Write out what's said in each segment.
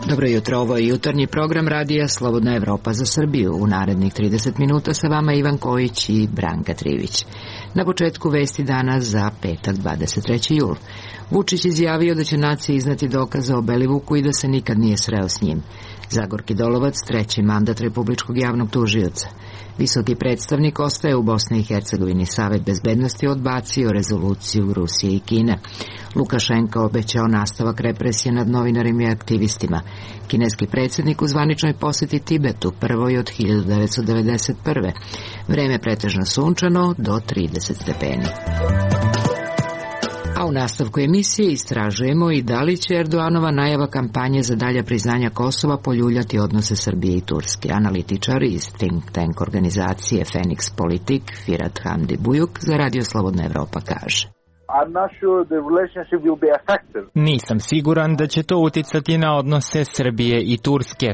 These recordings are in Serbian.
Dobro jutro, ovo je jutarnji program radija Slobodna Evropa za Srbiju. U narednih 30 minuta sa vama Ivan Kojić i Branka Trivić. Na početku vesti dana za petak 23. jul. Vučić izjavio da će naciji iznati dokaze o Belivuku i da se nikad nije sreo s njim. Zagorki Dolovac, treći mandat Republičkog javnog tužioca. Visoki predstavnik ostaje u Bosni i Hercegovini. Savet bezbednosti odbacio rezoluciju Rusije i Kine. Lukašenko obećao nastavak represije nad novinarima i aktivistima. Kineski predsjednik u zvaničnoj posjeti Tibetu, prvoj od 1991. Vreme pretežno sunčano do 30 stepeni. A u nastavku emisije istražujemo i da li će Erdoganova najava kampanje za dalja priznanja Kosova poljuljati odnose Srbije i Turske. Analitičar iz think tank organizacije Phoenix Politik, Firat Hamdi Bujuk, za Radio Slobodna Evropa kaže: Nisam siguran da će to uticati na odnose Srbije i Turske.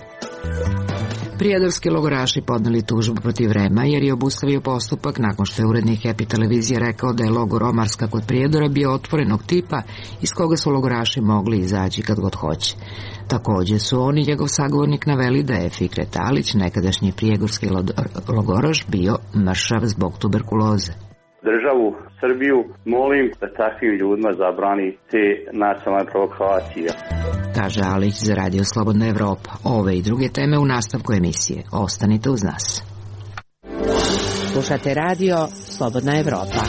Prijedorski logoraši podneli tužbu protiv Rema jer je obustavio postupak nakon što je urednik Happy televizije rekao da je logor Omarska kod Prijedora bio otvorenog tipa iz koga su logoraši mogli izaći kad god hoće. Također su on i njegov sagovornik naveli da je Fikret Alić, nekadašnji prijedorski logoraš, bio mršav zbog tuberkuloze. Državu Srbiju molim da takvim ljudima zabrani te nacionalne provokacije, kaže Alić za Radio Slobodna Evropa. Ove i druge teme u nastavku emisije. Ostanite uz nas. Slušate Radio Slobodna Evropa.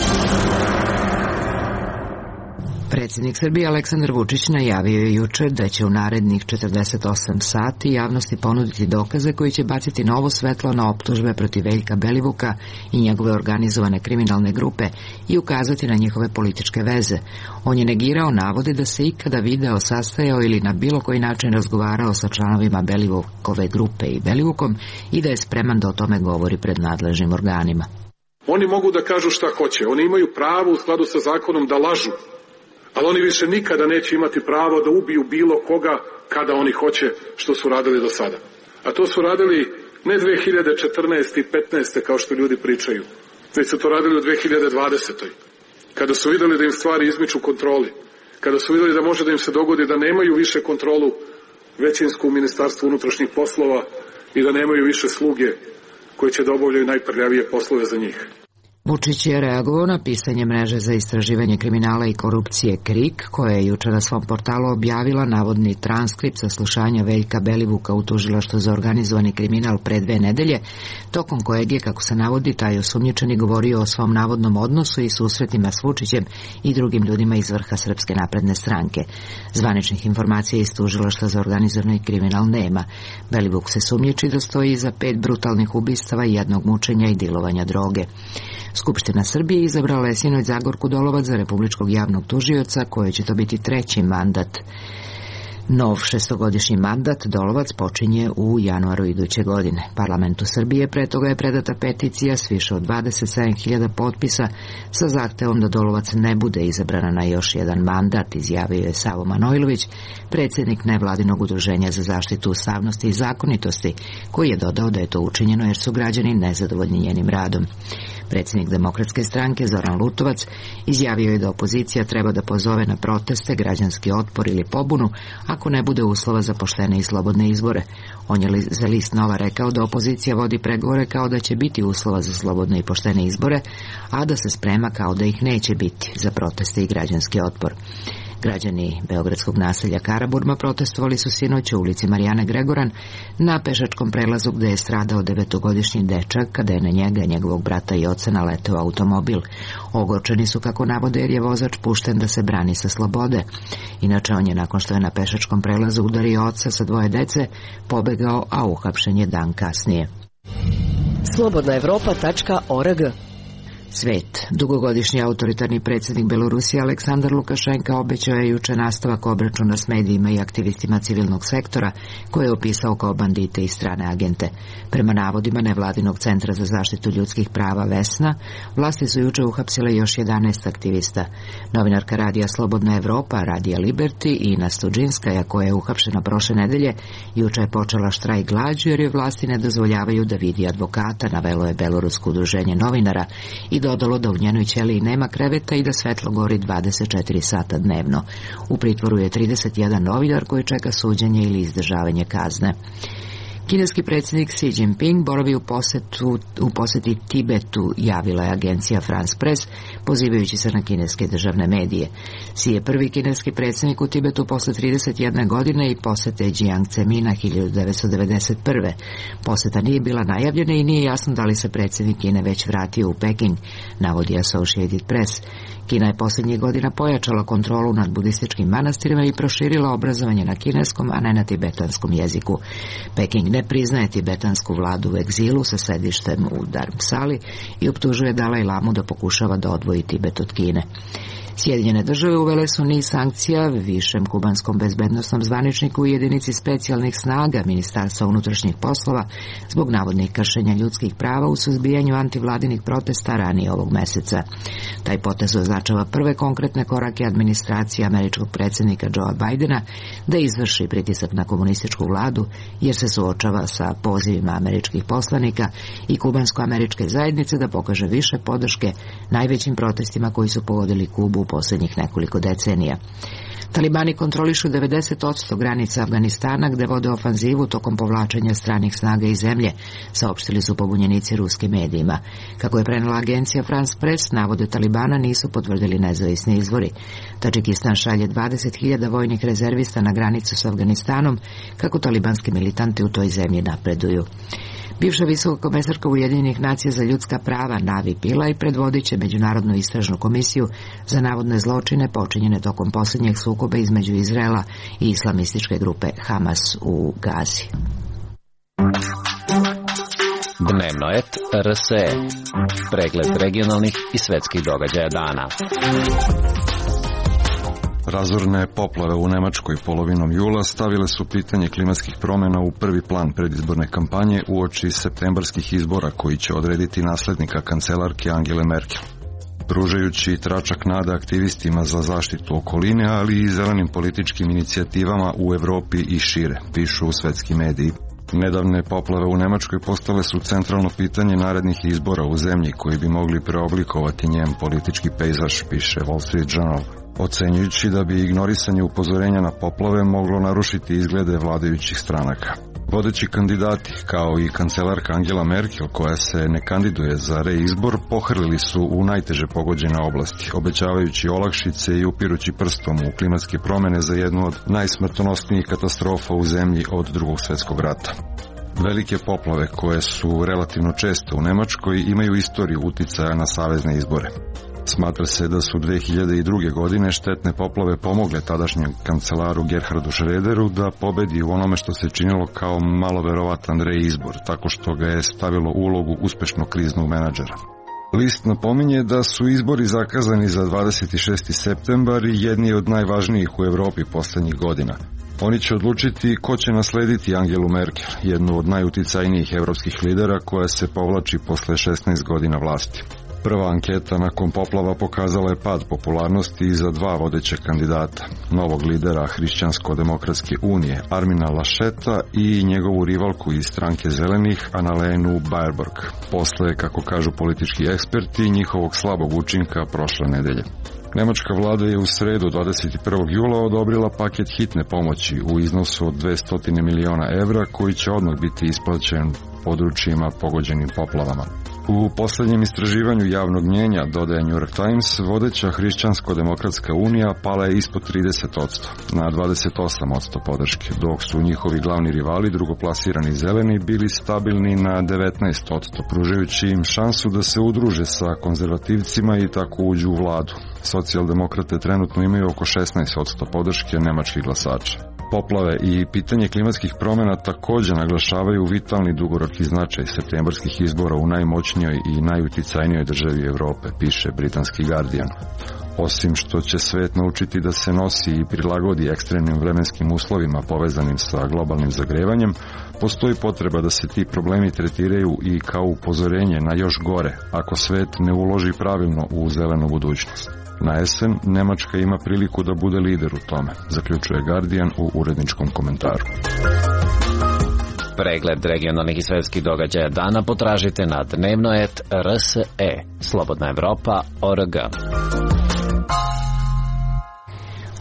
Predsjednik Srbije Aleksandar Vučić najavio je jučer da će u narednih 48 sati javnosti ponuditi dokaze koji će baciti novo svetlo na optužbe protiv Veljka Belivuka i njegove organizovane kriminalne grupe i ukazati na njihove političke veze. On je negirao navode da se ikada video sastajao ili na bilo koji način razgovarao sa članovima Belivukove grupe i Belivukom i da je spreman da o tome govori pred nadležnim organima. Oni mogu da kažu šta hoće, oni imaju pravo u skladu sa zakonom da lažu. Ali oni više nikada neće imati pravo da ubiju bilo koga kada oni hoće, što su radili do sada. A to su radili ne 2014. i 15. kao što ljudi pričaju, već su to radili u 2020. Kada su vidjeli da im stvari izmiču kontroli, kada su vidjeli da može da im se dogodi da nemaju više kontrolu većinsku u Ministarstvu unutrašnjih poslova i da nemaju više sluge koji će da obavljaju najprljavije poslove za njih. Vučić je reagovao na pisanje mreže za istraživanje kriminala i korupcije KRIK, koja je jučer na svom portalu objavila navodni transkript saslušanja Veljka Belivuka u tužilaštvu za organizovani kriminal pre 2 nedelje, tokom kojeg je, kako se navodi, taj osumnjičeni govorio o svom navodnom odnosu i susretima s Vučićem i drugim ljudima iz vrha Srpske napredne stranke. Zvaničnih informacija iz tužilaštva za organizovani kriminal nema. Belivuk se sumnjiči da stoji iza 5 brutalnih ubistava i 1 mučenja i dilovanja droge. Skupština Srbije izabrala je sinoć Zagorku Dolovac za Republičkog javnog tužioca, koje će to biti 3. mandat. Nov 6-godišnji mandat Dolovac počinje u januaru iduće godine. Parlamentu Srbije pre toga je predata peticija s više od 27.000 potpisa sa zahtevom da Dolovac ne bude izabrana na još jedan mandat, izjavio je Savo Manojlović, predsjednik nevladinog udruženja za zaštitu ustavnosti i zakonitosti, koji je dodao da je to učinjeno jer su građani nezadovoljni njenim radom. Predsjednik Demokratske stranke Zoran Lutovac izjavio je da opozicija treba da pozove na proteste, građanski otpor ili pobunu ako ne bude uslova za poštene i slobodne izbore. On je za list Nova rekao da opozicija vodi pregovore kao da će biti uslova za slobodne i poštene izbore, a da se sprema kao da ih neće biti za proteste i građanski otpor. Građani beogradskog naselja Karaburma protestovali su sinoć u ulici Marijane Gregoran na pešačkom prelazu gde je stradao 9-godišnji dečak kada je na njega, njegovog brata i oca naleteo automobil. Ogorčeni su, kako navode, jer je vozač pušten da se brani sa slobode. Inače, on je nakon što je na pešačkom prelazu udario oca sa 2 dece pobegao, a uhapšen je dan kasnije. Slobodnaevropa.org. Svet. Dugogodišnji autoritarni predsjednik Belorusije Aleksandar Lukašenka obećao je juče nastavak obračuna s medijima i aktivistima civilnog sektora koje je opisao kao bandite i strane agente. Prema navodima nevladinog centra za zaštitu ljudskih prava Vesna, vlasti su juče uhapsile još 11 aktivista. Novinarka radija Slobodna Evropa, Radija Liberty i Ina Studžinskaja, koja je uhapšena prošle nedelje, juče je počela štrajk glađu jer joj vlasti ne dozvoljavaju da vidi advokata, navelo je Belorusko udruženje novinara i dodalo da u njenoj ćeliji nema kreveta i da svetlo gori 24 sata dnevno. U pritvoru je 31 novinar koji čeka suđenje ili izdržavanje kazne. Kineski predsjednik Xi Jinping boravi u posjeti Tibetu, javila je agencija France Press, pozivajući se na kineske državne medije. Xi je prvi kineski predsjednik u Tibetu posle 31 godine i posjete Jiang Zemina 1991. Posjeta nije bila najavljena i nije jasno da li se predsjednik Kine već vratio u Peking, navodi Associated Press. Kina je posljednjih godina pojačala kontrolu nad budističkim manastirima i proširila obrazovanje na kineskom, a ne na tibetanskom jeziku. Peking ne priznaje tibetansku vladu u egzilu sa sedištem u Dharamsali i optužuje Dalaj Lamu da pokušava da odvoji Tibet od Kine. Sjedinjene države uvele su niz sankcija višem kubanskom bezbednosnom zvaničniku i jedinici specijalnih snaga Ministarstva unutrašnjih poslova zbog navodnih kršenja ljudskih prava u suzbijanju antivladinih protesta ranije ovog meseca. Taj potez označava prve konkretne korake administracije američkog predsjednika Joea Bidena da izvrši pritisak na komunističku vladu jer se suočava sa pozivima američkih poslanika i kubansko-američke zajednice da pokaže više podrške najvećim protestima koji su pogodili Kubu u posljednjih nekoliko decenija. Talibani kontrolišu 90% granica Afganistana gde vode ofanzivu tokom povlačenja stranih snaga iz zemlje, saopštili su pobunjenici ruskim medijima. Kako je prenela agencija France Press, navode Talibana nisu potvrdili nezavisni izvori. Tadžikistan šalje 20.000 vojnih rezervista na granicu s Afganistanom kako talibanski militanti u toj zemlji napreduju. Bivša visoka komesarka Ujedinjenih nacija za ljudska prava Navi Pillay predvodit će međunarodnu istražnu komisiju za navodne zločine počinjene tokom posljednjeg sukoba između Izraela i islamističke grupe Hamas u Gazi. Dnevno et RSE. Pregled regionalnih i svetskih događaja dana. Razorne poplave u Nemačkoj polovinom jula stavile su pitanje klimatskih promjena u prvi plan predizborne kampanje uoči septembarskih izbora koji će odrediti naslednika kancelarke Angele Merkel. Pružajući tračak nada aktivistima za zaštitu okoline, ali i zelenim političkim inicijativama u Evropi i šire, pišu svetski mediji. Nedavne poplave u Nemačkoj postale su centralno pitanje narednih izbora u zemlji koji bi mogli preoblikovati njen politički pejzaž, piše Wall Street Journal, ocenjujući da bi ignorisanje upozorenja na poplave moglo narušiti izglede vladajućih stranaka. Vodeći kandidati, kao i kancelarka Angela Merkel, koja se ne kandiduje za reizbor, pohrlili su u najteže pogođene oblasti, obećavajući olakšice i upirući prstom u klimatske promjene za jednu od najsmrtonosnijih katastrofa u zemlji od Drugog svjetskog rata. Velike poplave, koje su relativno često u Nemačkoj, imaju istoriju uticaja na savezne izbore. Smatra se da su 2002. godine štetne poplave pomogle tadašnjem kancelaru Gerhardu Schröderu da pobedi u onome što se činilo kao malo verovatan reizbor, tako što ga je stavilo u ulogu uspešnog kriznog menadžera. List napominje da su izbori zakazani za 26. septembar i jedni od najvažnijih u Evropi posljednjih godina. Oni će odlučiti ko će naslediti Angelu Merkel, jednu od najuticajnijih evropskih lidera koja se povlači posle 16 godina vlasti. Prva anketa nakon poplava pokazala je pad popularnosti za dva vodeća kandidata, novog lidera Hrišćansko-demokratske unije Armina Lascheta i njegovu rivalku iz stranke zelenih Annalenu Baerbock, posle, kako kažu politički eksperti, njihovog slabog učinka prošle nedelje. Nemačka vlada je u sredu 21. jula odobrila paket hitne pomoći u iznosu od 200 miliona evra koji će odmah biti isplaćen područjima pogođenim poplavama. U posljednjem istraživanju javnog mnjenja, dodaje New York Times, vodeća Hrišćansko-demokratska unija pala je ispod 30%, na 28% podrške, dok su njihovi glavni rivali, drugoplasirani zeleni, bili stabilni na 19%, pružajući im šansu da se udruže sa konzervativcima i tako uđu u vladu. Socijaldemokrate trenutno imaju oko 16% podrške nemačkih glasača. Poplave i pitanje klimatskih promjena također naglašavaju vitalni dugoročni značaj septembarskih izbora u najmoćnijoj i najuticajnijoj državi Europe, piše britanski Guardian. Osim što će svet naučiti da se nosi i prilagodi ekstremnim vremenskim uslovima povezanim sa globalnim zagrevanjem, postoji potreba da se ti problemi tretiraju i kao upozorenje na još gore, ako svet ne uloži pravilno u zelenu budućnost. Na jesen Nemačka ima priliku da bude lider u tome, zaključuje Guardian u uredničkom komentaru. Pregled regionalnih i svetskih događaja dana potražite na dnevno.rse, Slobodna Evropa.org.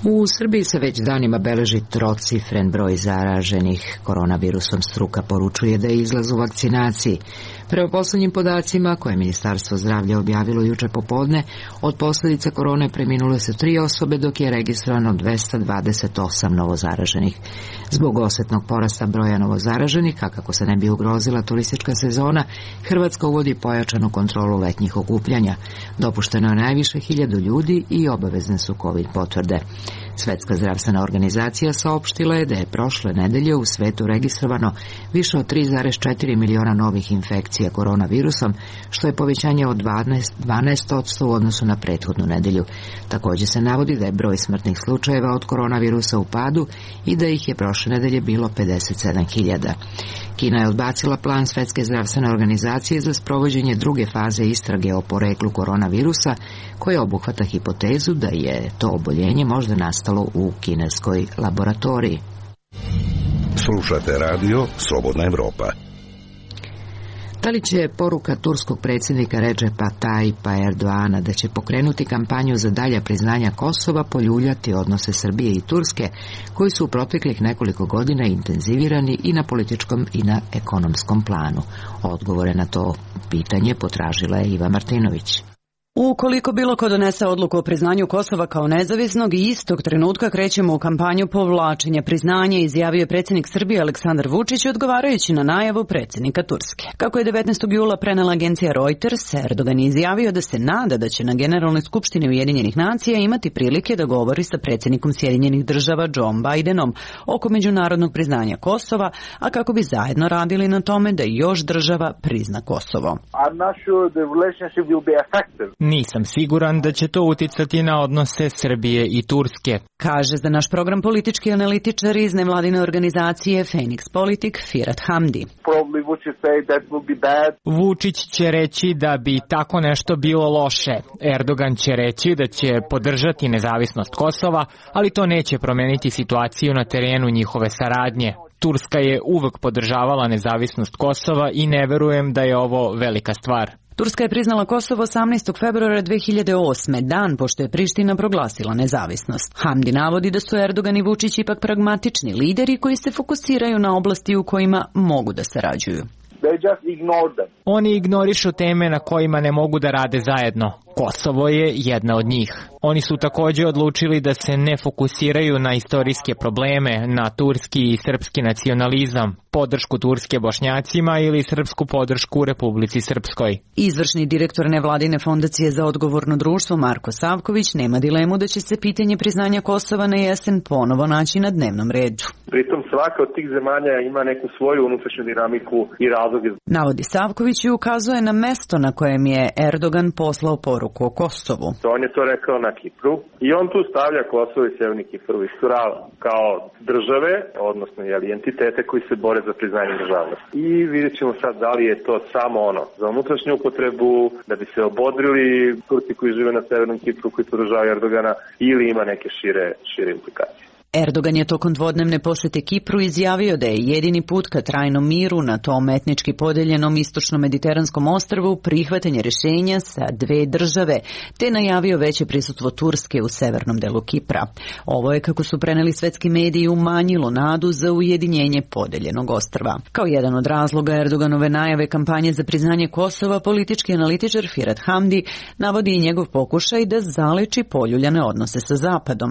U Srbiji se već danima beleži trocifren broj zaraženih koronavirusom. Struka poručuje da je izlaz u vakcinaciji. Prema poslednjim podacima koje je Ministarstvo zdravlja objavilo juče popodne, od posljedica korone preminule su 3 osobe, dok je registrovano 228 novozaraženih. Zbog osetnog porasta broja novozaraženih, a kako se ne bi ugrozila turistička sezona, Hrvatska uvodi pojačanu kontrolu letnjih okupljanja. Dopušteno je najviše 1000 ljudi i obavezne su COVID potvrde. Svetska zdravstvena organizacija saopštila je da je prošle nedelje u svetu registrovano više od 3,4 miliona novih infekcija koronavirusom, što je povećanje od 12% u odnosu na prethodnu nedelju. Također se navodi da je broj smrtnih slučajeva od koronavirusa u padu i da ih je prošle nedelje bilo 57.000. Kina je odbacila plan Svetske zdravstvene organizacije za sprovođenje druge faze istrage o poreklu koronavirusa, koja obuhvata hipotezu da je to oboljenje možda nastalo u kineskoj laboratoriji. Slušate radio Slobodna Evropa. Da li će poruka turskog predsjednika Redžepa Tayyipa Erdoana da će pokrenuti kampanju za dalja priznanja Kosova poljuljati odnose Srbije i Turske, koji su u proteklih nekoliko godina intenzivirani i na političkom i na ekonomskom planu? Odgovore na to pitanje potražila je Iva Martinović. Ukoliko bilo ko donese odluku o priznanju Kosova kao nezavisnog, i istog trenutka krećemo u kampanju povlačenja priznanja, izjavio je predsjednik Srbije Aleksandar Vučić odgovarajući na najavu predsjednika Turske. Kako je 19. jula prenela agencija Reuters, Erdogan je izjavio da se nada da će na Generalnoj skupštini Ujedinjenih nacija imati prilike da govori sa predsjednikom Sjedinjenih država Joe Bidenom oko međunarodnog priznanja Kosova, a kako bi zajedno radili na tome da još država prizna Kosovo. Nisam siguran da će to uticati na odnose Srbije i Turske, kaže za naš program politički analitičar iz nevladine organizacije Phoenix Politik Firat Hamdi. Vučić će reći da bi tako nešto bilo loše. Erdogan će reći da će podržati nezavisnost Kosova, ali to neće promeniti situaciju na terenu njihove saradnje. Turska je uvek podržavala nezavisnost Kosova i ne verujem da je ovo velika stvar. Turska je priznala Kosovo 18. februara 2008. dan pošto je Priština proglasila nezavisnost. Hamdi navodi da su Erdogan i Vučić ipak pragmatični lideri koji se fokusiraju na oblasti u kojima mogu da sarađuju. Oni ignorišu teme na kojima ne mogu da rade zajedno. Kosovo je jedna od njih. Oni su također odlučili da se ne fokusiraju na istorijske probleme, na turski i srpski nacionalizam, podršku Turske Bošnjacima ili srpsku podršku Republici Srpskoj. Izvršni direktor nevladine fondacije za odgovorno društvo Marko Savković nema dilemu da će se pitanje priznanja Kosova na jesen ponovo naći na dnevnom redu. Pritom svaka od tih zemalja ima neku svoju unutrašnju dinamiku i razloge. Navodi Savković i ukazuje na mesto na kojem je Erdogan poslao poruku o Kosovu. On je to rekao na Kipru i on tu stavlja Kosovo i Severni Kipar u istu ravan kao države, odnosno entitete koji se bore za priznanje državnosti. I vidjet ćemo sad da li je to samo za unutrašnju upotrebu, da bi se obodrili Turci koji žive na Severnom Kipru koji podržavaju Erdogana, ili ima neke šire implikacije. Erdogan je tokom dvodnevne posjete Kipru izjavio da je jedini put ka trajnom miru na tom etnički podeljenom istočno-mediteranskom ostrvu prihvatanje rješenja sa dve države, te najavio veće prisutstvo Turske u severnom delu Kipra. Ovo je, kako su preneli svetski mediji, umanjilo nadu za ujedinjenje podeljenog ostrva. Kao jedan od razloga Erdoganove najave kampanje za priznanje Kosova, politički analitičar Firat Hamdi navodi i njegov pokušaj da zaleči poljuljane odnose sa Zapadom.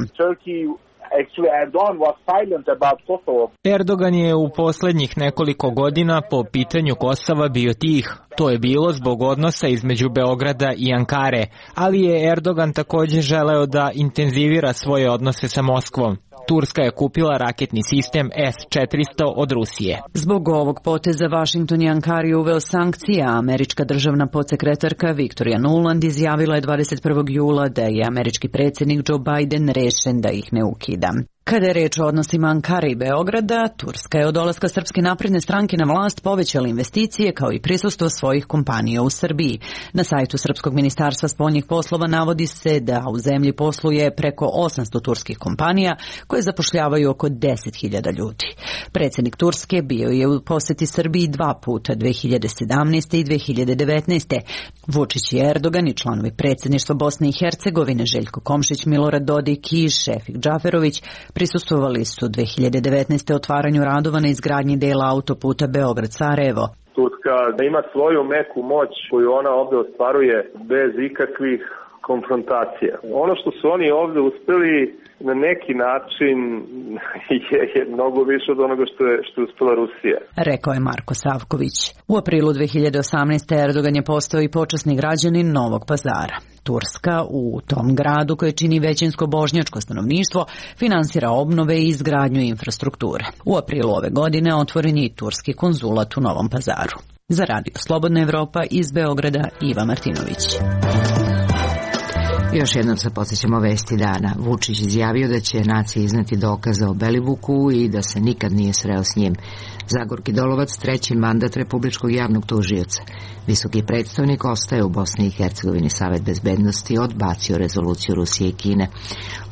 Erdogan je u posljednjih nekoliko godina po pitanju Kosova bio tih. To je bilo zbog odnosa između Beograda i Ankare, ali je Erdogan također želeo da intenzivira svoje odnose sa Moskvom. Turska je kupila raketni sistem S-400 od Rusije. Zbog ovog poteza Washington je Ankari uveo sankcije, a američka državna podsekretarka Victoria Nuland izjavila je 21. jula da je američki predsjednik Joe Biden rešen da ih ne ukida. Kada je reč o odnosima Ankare i Beograda, Turska je od dolaska Srpske napredne stranke na vlast povećala investicije kao i prisustvo svojih kompanija u Srbiji. Na sajtu Srpskog ministarstva spoljnih poslova navodi se da u zemlji posluje preko 800 turskih kompanija koje zapošljavaju oko 10.000 ljudi. Predsjednik Turske bio je u posjeti Srbiji 2 puta, 2017. i 2019. Vučić i Erdogan i članovi predsjedništva Bosne i Hercegovine Željko Komšić, Milorad Dodik i Šefik Džaferović prisustvovali su 2019. otvaranju radova na izgradnji dela autoputa Beograd-Sarajevo. Turska ima svoju meku moć koju ona ovdje ostvaruje bez ikakvih konfrontacija. Ono što su oni ovdje uspjeli na neki način je mnogo više od onoga što je uspjela Rusija. Rekao je Marko Savković. U aprilu 2018. Erdogan je postao i počasni građanin Novog Pazara. Turska u tom gradu koje čini većinsko bošnjačko stanovništvo finansira obnove i izgradnju infrastrukture. U aprilu ove godine otvoren je i turski konzulat u Novom Pazaru. Za Radio Slobodna Evropa iz Beograda Iva Martinović. Još jednom se podsjećamo vesti dana. Vučić izjavio da će naciji izneti dokaze o Belivuku i da se nikad nije sreo s njim. Zagorki Dolovac, 3. mandat Republičkog javnog tužioca. Visoki predstavnik ostaje u Bosni i Hercegovini. Savet bezbednosti odbacio rezoluciju Rusije i Kine.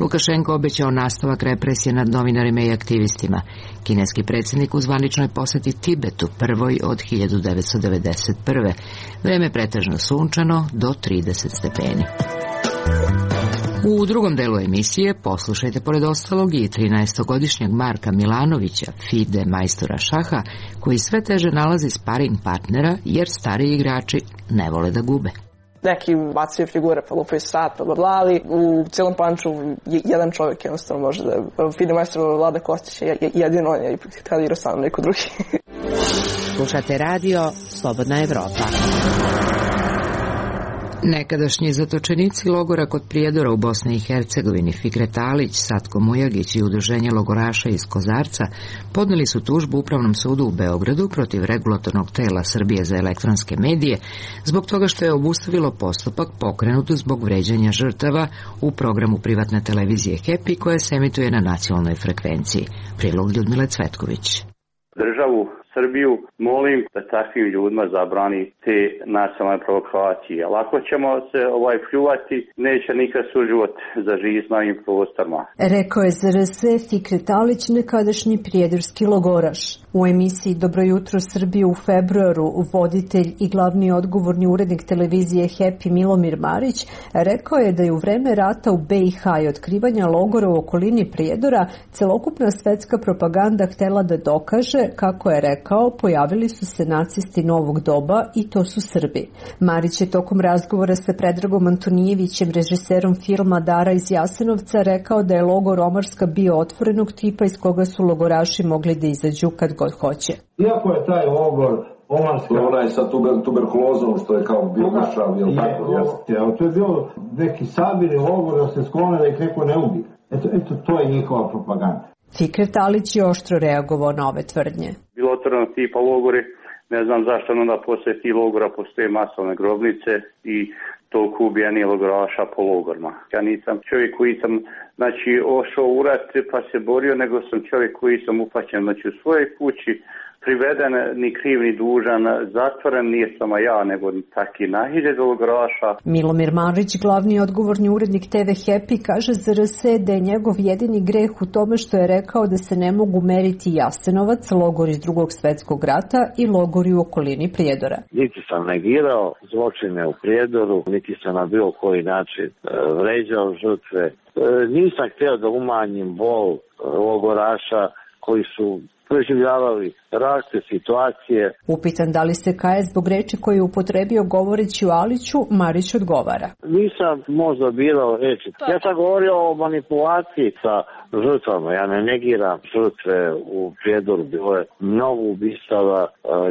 Lukašenko obećao nastavak represije nad novinarima i aktivistima. Kineski predsjednik u zvaničnoj posjeti Tibetu, prvoj od 1991. Vreme pretežno sunčano do 30 stepeni. U drugom delu emisije poslušajte pored ostalog i 13-godišnjeg Marka Milanovića, FIDE majstora šaha, koji sve teže nalazi sparing partnera jer stariji igrači ne vole da gube. Neki bacaju figure, pa lupaju sat, pa bla, ali u cijelom panču jedan čovjek jednostavno može da... FIDE majstor Vlada Kostić je jedino, on je htio da igra sam neko drugi. Slušate radio Slobodna Evropa. Nekadašnji zatočenici logora kod Prijedora u Bosni i Hercegovini Fikret Alić, Satko Mujagić i udruženje logoraša iz Kozarca podneli su tužbu Upravnom sudu u Beogradu protiv regulatornog tela Srbije za elektronske medije zbog toga što je obustavilo postupak pokrenut zbog vređanja žrtava u programu privatne televizije Happy koja se emituje na nacionalnoj frekvenciji. Prilog Ljudmile Cvetković. Državu Srbiju molim da takvim ljudima zabrani te nacionalne provokacije. Ali ako ćemo se pljuvati, neće nikad suživot za živ na ovim prostorima. Rekao je za RS Fikret Alić, nekadašnji prijedorski logoraš. U emisiji Dobro jutro Srbije u februaru voditelj i glavni odgovorni urednik televizije Happy Milomir Marić rekao je da je u vreme rata u BiH i otkrivanja logora u okolini Prijedora celokupna svetska propaganda htjela da dokaže, kako je rekao, pojavili su se nacisti novog doba i to su Srbi. Marić je tokom razgovora sa Predragom Antonijevićem, režiserom filma Dara iz Jasenovca, rekao da je logor Omarska bio otvorenog tipa iz koga su logoraši mogli da izađu kad god hoće. Iako je taj logor Omarska... Onaj sa tuberkulozom što je kao bio mršav, jel tako? Jeste, ali to je bilo neki sabirni logor da se sklone da ih neko ne ubije. Eto, to je njihova propaganda. Fikret Alić je oštro reagovao na ove tvrdnje. Bilo otvoreno tipa logori, ne znam zašto onda posle tih logora postoje masovne grobnice i toliko ubijenih logoraša po logorima. Ja nisam čovjek koji sam ošao u rat pa se borio, nego sam čovjek koji sam upaćen u svojoj kući, priveden, ni kriv ni dužan, zatvoren, nije samo ja, nego taki na 1000 logoraša. Milomir Marić, glavni odgovorni urednik TV Happy, kaže za RS da je njegov jedini greh u tome što je rekao da se ne mogu meriti Jasenovac, logor iz Drugog svjetskog rata i logori u okolini Prijedora. Niti sam negirao zločine u Prijedoru, niti sam na bilo koji način vređao žrtve. Nisam htio da umanjim bol logoraša koji su preživljavali različite situacije. Upitan da li se kaje zbog reči koje je upotrebio govoreći o Aliću, Marić odgovara. Nisam možda birao reči. Ja sam govorio o manipulaciji sa žrtvama. Ja ne negiram žrtve u Prijedoru. Bilo je mnogo ubistava,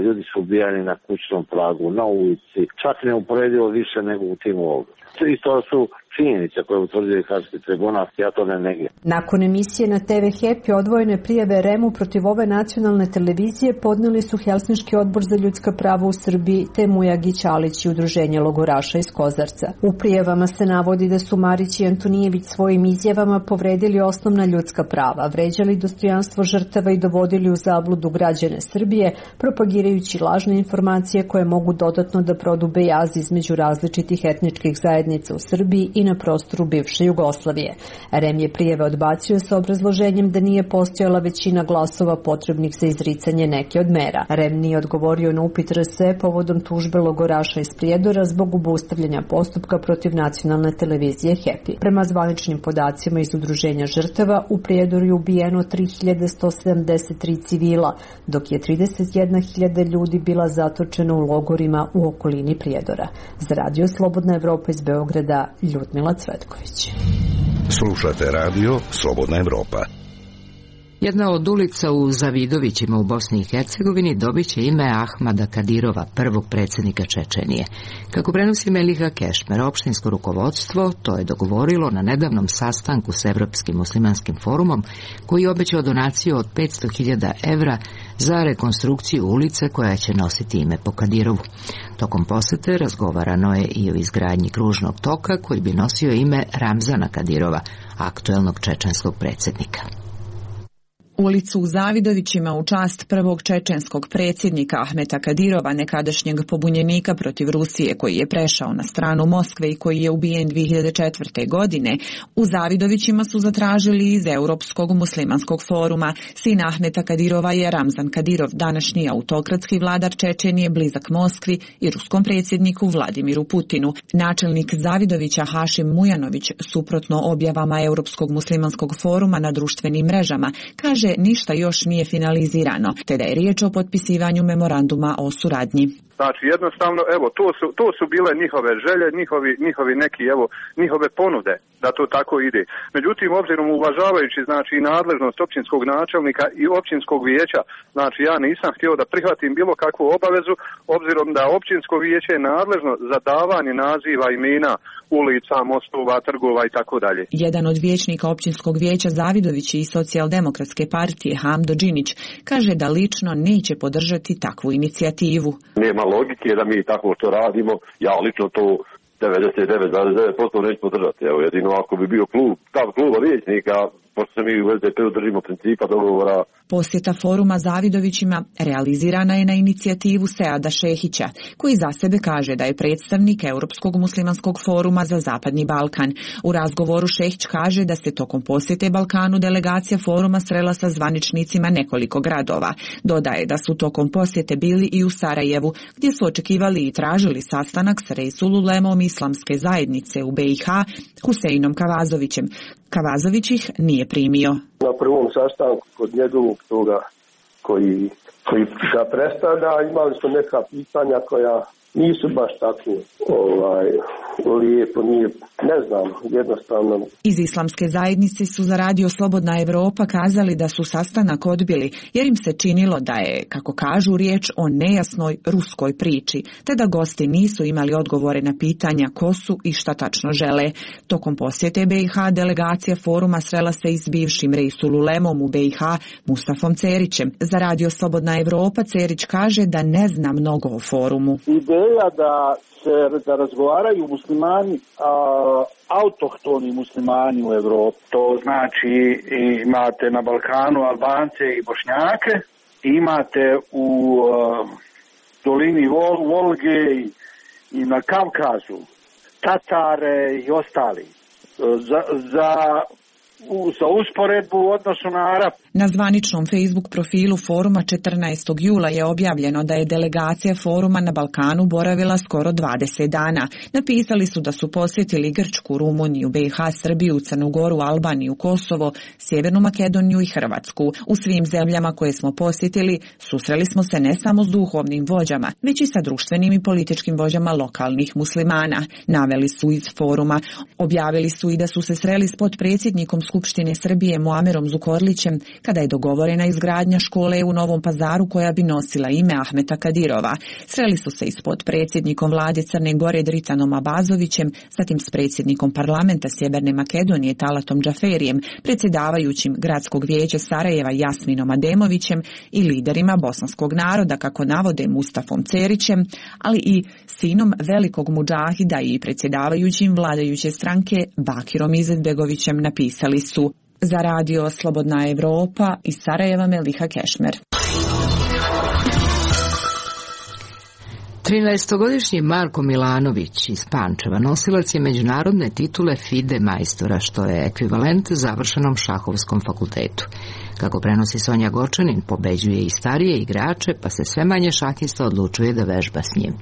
ljudi su ubijani na kućnom pragu, na ulici. Čak ne uporedivo više nego u tim logorima. I to su činjenice koje utvrđuje Haški tribunal, ja to ne negiram. Nakon emisije na TV Happy odvojene prijave REM-u protiv ove nacionalne televizije podneli su Helsinški odbor za ljudska prava u Srbiji te Mujagić Alić i Udruženje logoraša iz Kozarca. U prijavama se navodi da su Marić i Antonijević svojim izjavama povredili osnovna ljudska prava, vređali dostojanstvo žrtava i dovodili u zabludu građane Srbije, propagirajući lažne informacije koje mogu dodatno da prodube jaz između različitih etničkih zajednica u Srbiji i na prostoru bivše Jugoslavije. REM je prijave odbacio sa obrazloženjem da nije postojala većina glasova potrebnih za izricanje neke od mera. REM nije odgovorio na upit RSE povodom tužbe logoraša iz Prijedora zbog obustavljanja postupka protiv nacionalne televizije Happy. Prema zvaničnim podacima iz Udruženja žrtava, u Prijedoru je ubijeno 3173 civila, dok je 31.000 ljudi bila zatočena u logorima u okolini Prijedora. Za Radio Slobodna Evropa iz Beograda, Ljudmila Cvetković. Slušate radio Slobodna Evropa. Jedna od ulica u Zavidovićima u Bosni i Hercegovini dobit će ime Ahmada Kadirova, prvog predsjednika Čečenije. Kako prenosi Meliha Kešmer, opštinsko rukovodstvo to je dogovorilo na nedavnom sastanku s Evropskim muslimanskim forumom, koji je obećao donaciju od 500.000 evra za rekonstrukciju ulice koja će nositi ime po Kadirovu. Tokom posete razgovarano je i o izgradnji kružnog toka koji bi nosio ime Ramzana Kadirova, aktuelnog čečenskog predsjednika. Ulicu u Zavidovićima u čast prvog čečenskog predsjednika Ahmeta Kadirova, nekadašnjeg pobunjenika protiv Rusije koji je prešao na stranu Moskve i koji je ubijen 2004. godine, u Zavidovićima su zatražili iz Europskog muslimanskog foruma. Sin Ahmeta Kadirova je Ramzan Kadirov, današnji autokratski vladar Čečenije, blizak Moskvi i ruskom predsjedniku Vladimiru Putinu. Načelnik Zavidovića Hašim Mujanović, suprotno objavama Europskog muslimanskog foruma na društvenim mrežama, kaže ništa još nije finalizirano, te da je riječ o potpisivanju memoranduma o suradnji. Znači jednostavno, evo, to su bile njihove želje, njihovi neki, evo, njihove ponude da to tako ide. Međutim, obzirom uvažavajući, znači, i nadležnost općinskog načelnika i općinskog vijeća, znači, ja nisam htio da prihvatim bilo kakvu obavezu, obzirom da općinsko vijeće je nadležno za davanje naziva imena ulica, mostova, trgova i tako dalje. Jedan od vijećnika općinskog vijeća Zavidovići i Socijaldemokratske partije Hamdo Đinić kaže da lično neće podržati takvu inicijativu. Nema logike da mi tako što radimo, ja lično to 99,9% neću podržati. Evo, jedino ako bi bio stav kluba vijećnika, pošto se mi u SDP-u držimo principa dogovora. Posjeta foruma Zavidovićima realizirana je na inicijativu Seada Šehića, koji za sebe kaže da je predstavnik Europskog muslimanskog foruma za Zapadni Balkan. U razgovoru Šehić kaže da se tokom posjete Balkanu delegacija foruma srela sa zvaničnicima nekoliko gradova. Dodaje da su tokom posjete bili i u Sarajevu, gdje su očekivali i tražili sastanak s Reisul-Ulemom islamske zajednice u BiH, Huseinom Kavazovićem. Kavazović ih nije primio. Na prvom sastanku kod njegovog toga koji ga predstavlja, imali smo neka pitanja koja nisu baš tako lijepo, ne znam, jednostavno. Iz islamske zajednice su za Radio Slobodna Evropa kazali da su sastanak odbili, jer im se činilo da je, kako kažu, riječ o nejasnoj ruskoj priči, te da gosti nisu imali odgovore na pitanja ko su i šta tačno žele. Tokom posjete BiH delegacija foruma srela se i s bivšim Reisul-Ulemom u BiH Mustafom Cerićem. Za Radio Slobodna Evropa Cerić kaže da ne zna mnogo o forumu. Ideja da razgovaraju muslimani, autohtoni muslimani u Evropi. To znači imate na Balkanu Albance i Bošnjake, imate u dolini Volge i na Kavkazu Tatare i ostali. Za za usporedbu u odnosu na Arap. Na zvaničnom Facebook profilu foruma 14. jula je objavljeno da je delegacija foruma na Balkanu boravila skoro 20 dana. Napisali su da su posjetili Grčku, Rumuniju, BiH, Srbiju, Crnu Goru, Albaniju, Kosovo, Sjevernu Makedoniju i Hrvatsku. U svim zemljama koje smo posjetili susreli smo se ne samo s duhovnim vođama, već i sa društvenim i političkim vođama lokalnih muslimana. Naveli su iz foruma. Objavili su i da su se sreli s potpredsjednikom Skupštine Srbije Muamerom Zukorlićem kada je dogovorena izgradnja škole u Novom Pazaru koja bi nosila ime Ahmeta Kadirova. Sreli su se i s potpredsjednikom vlade Crne Gore Dritanom Abazovićem, zatim s predsjednikom parlamenta Sjeverne Makedonije Talatom Džaferijem, predsjedavajućim gradskog vijeća Sarajeva Jasminom Ademovićem i liderima bosanskog naroda, kako navode Mustafom Cerićem, ali i sinom velikog mudžahida i predsjedavajućim vladajuće stranke Bakirom Izetbegovićem, napisali su. Za radio Slobodna Evropa iz Sarajeva Meliha Kešmer. 13-godišnji Marko Milanović iz Pančeva nosilac je međunarodne titule FIDE majstora, što je ekvivalent završenom šahovskom fakultetu. Kako prenosi Sonja Gočanin, pobeđuje i starije igrače, pa se sve manje šahista odlučuje da vežba s njim.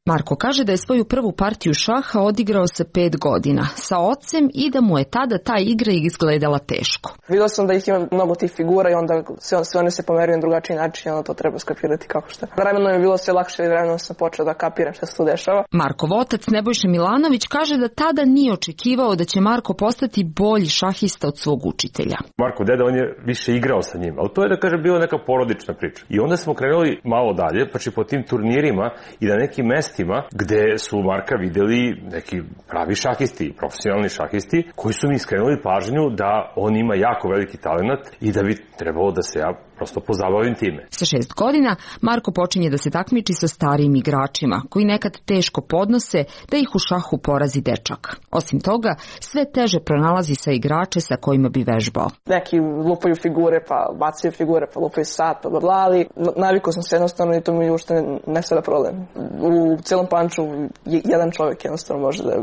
Marko kaže da je svoju prvu partiju šaha odigrao sa 5 godina sa ocem i da mu je tada ta igra izgledala teško. Vidio sam da ih ima mnogo tih figura i onda sve one se pomeruju na drugačiji način, onda to treba skapirati kako šta. Vremenom je bilo sve lakše i vremenom sam počeo da kapiram šta se tu dešava. Markov otac Nebojša Milanović kaže da tada nije očekivao da će Marko postati bolji šahista od svog učitelja. Marko deda, on je više igrao sa njim, ali to je da kaže bila neka porodična priča. I onda smo krenuli malo dalje, pa po tim turnirima i na nekim mestima gde su Marka videli neki pravi šahisti, profesionalni šahisti, koji su mi skrenuli pažnju da on ima jako veliki talenat i da bi trebalo da se ja prosto pozabavim time. Sa 6 godina Marko počinje da se takmiči sa starijim igračima, koji nekad teško podnose da ih u šahu porazi dečak. Osim toga, sve teže pronalazi sa igrače sa kojima bi vežbao. Neki lupaju figure, pa bacaju figure, pa lupaju sat, pa bla, ali navikao sam se jednostavno i to mi uopšte ne sada problem. U celom Panču jedan čovjek jednostavno može da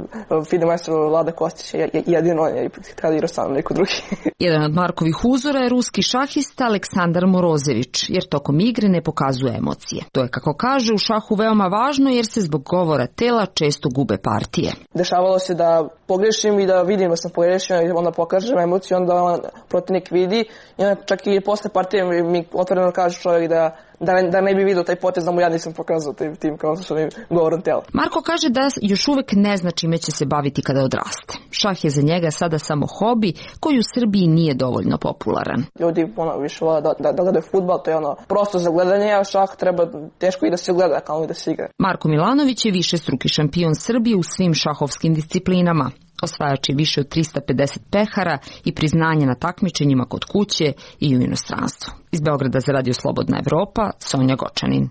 FIDE majstor Vlada Kostić je jedino on, je kada igra sam neko drugi. Jedan od Markovih uzora je ruski šahista Aleksandar Morozević, jer tokom igre ne pokazuje emocije. To je, kako kaže, u šahu veoma važno jer se zbog govora tela često gube partije. Dešavalo se da pogrešim i da vidim da sam pogrešio i onda pokažem emociju, onda protivnik vidi i onda čak i posle partije mi otvoreno kaže čovjek da ne bi vidio taj potez da mu ja nisam pokazao tim kao što je govorom tela. Marko kaže da još uvek ne zna čime će se baviti kada odraste. Šah je za njega sada samo hobi koji u Srbiji nije dovoljno popularan. Ljudi više vole da gledaju fudbal, to je prosto za gledanje, a šah treba teško i da se gleda kao i da se igra. Marko Milanović je višestruki šampion Srbije u svim šahovskim disciplinama. Osvajač je više od 350 pehara i priznanje na takmičenjima kod kuće i u inostranstvu. Iz Beograda za radio Slobodna Evropa, Sonja Gočanin.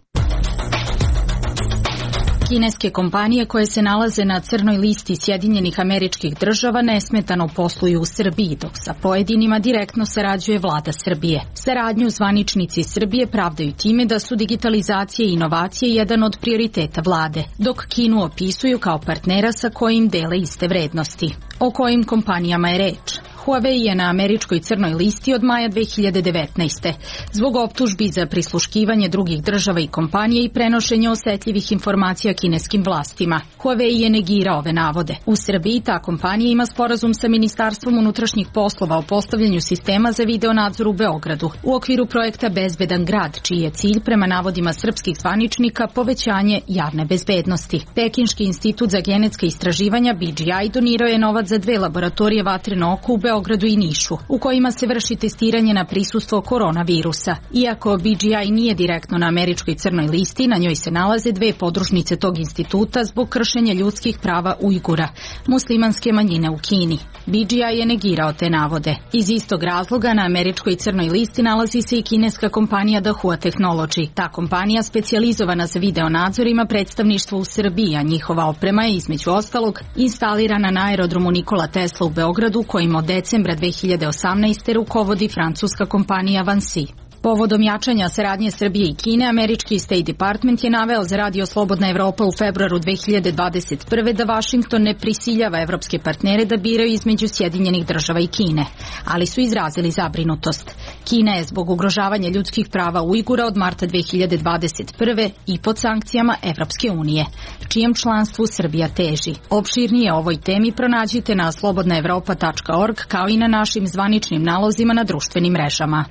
Kineske kompanije koje se nalaze na crnoj listi Sjedinjenih Američkih Država nesmetano posluju u Srbiji, dok sa pojedinima direktno sarađuje vlada Srbije. Saradnju zvaničnici Srbije pravdaju time da su digitalizacija i inovacije jedan od prioriteta vlade, dok Kinu opisuju kao partnera sa kojim dele iste vrednosti. O kojim kompanijama je reč? Huawei je na američkoj crnoj listi od maja 2019. zbog optužbi za prisluškivanje drugih država i kompanije i prenošenje osetljivih informacija kineskim vlastima. Huawei je negirao ove navode. U Srbiji ta kompanija ima sporazum sa Ministarstvom unutrašnjih poslova o postavljanju sistema za video nadzor u Beogradu u okviru projekta Bezbedan grad, čiji je cilj prema navodima srpskih zvaničnika povećanje javne bezbednosti. Pekinški institut za genetska istraživanja BGI donirao je novac za 2 laboratorije vatreno oko u Beogradu i Nišu, u kojima se vrši testiranje na prisustvo koronavirusa. Iako BGI nije direktno na američkoj crnoj listi, na njoj se nalaze 2 podružnice tog instituta zbog kršenja ljudskih prava Ujgura, muslimanske manjine u Kini. BGI je negirao te navode. Iz istog razloga na američkoj crnoj listi nalazi se i kineska kompanija Dahua Technology. Ta kompanija, specijalizovana za video nadzor, ima predstavništvo u Srbiji, a njihova oprema je između ostalog instalirana na aerodromu Nikola Tesla u Beogradu, kojim od decembra 2018. rukovodi francuska kompanija Vinci. Povodom jačanja saradnje Srbije i Kine, američki State Department je naveo za Radio Slobodna Evropa u februaru 2021. da Vašington ne prisiljava evropske partnere da biraju između Sjedinjenih država i Kine, ali su izrazili zabrinutost. Kina je zbog ugrožavanja ljudskih prava Ujgura od marta 2021. i pod sankcijama Evropske unije, čijem članstvu Srbija teži. Opširnije o ovoj temi pronađite na slobodnaevropa.org kao i na našim zvaničnim nalozima na društvenim mrežama.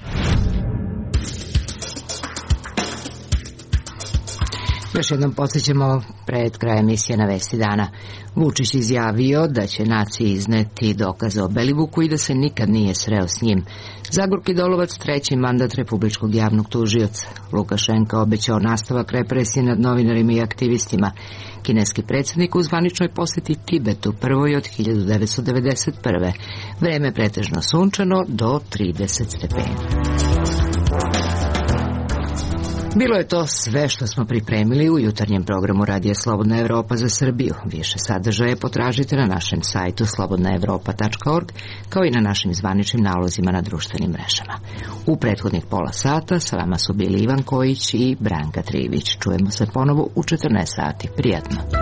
Još jednom podsjećamo pred kraj emisije na Vesti dana. Vučić izjavio da će naciji izneti dokaze o Belivuku i da se nikad nije sreo s njim. Zagorki Dolovac, treći mandat republičkog javnog tužioca. Lukašenka obećao nastavak represije nad novinarima i aktivistima. Kineski predsjednik u zvaničnoj posjeti Tibetu, prvoj od 1991. Vreme pretežno sunčano do 30 stepeni. Bilo je to sve što smo pripremili u jutarnjem programu Radija Slobodna Evropa za Srbiju. Više sadržaje potražite na našem sajtu slobodnaevropa.org kao i na našim zvaničnim nalozima na društvenim mrežama. U prethodnih pola sata sa vama su bili Ivan Kojić i Branka Trivić. Čujemo se ponovo u 14 sati. Prijatno.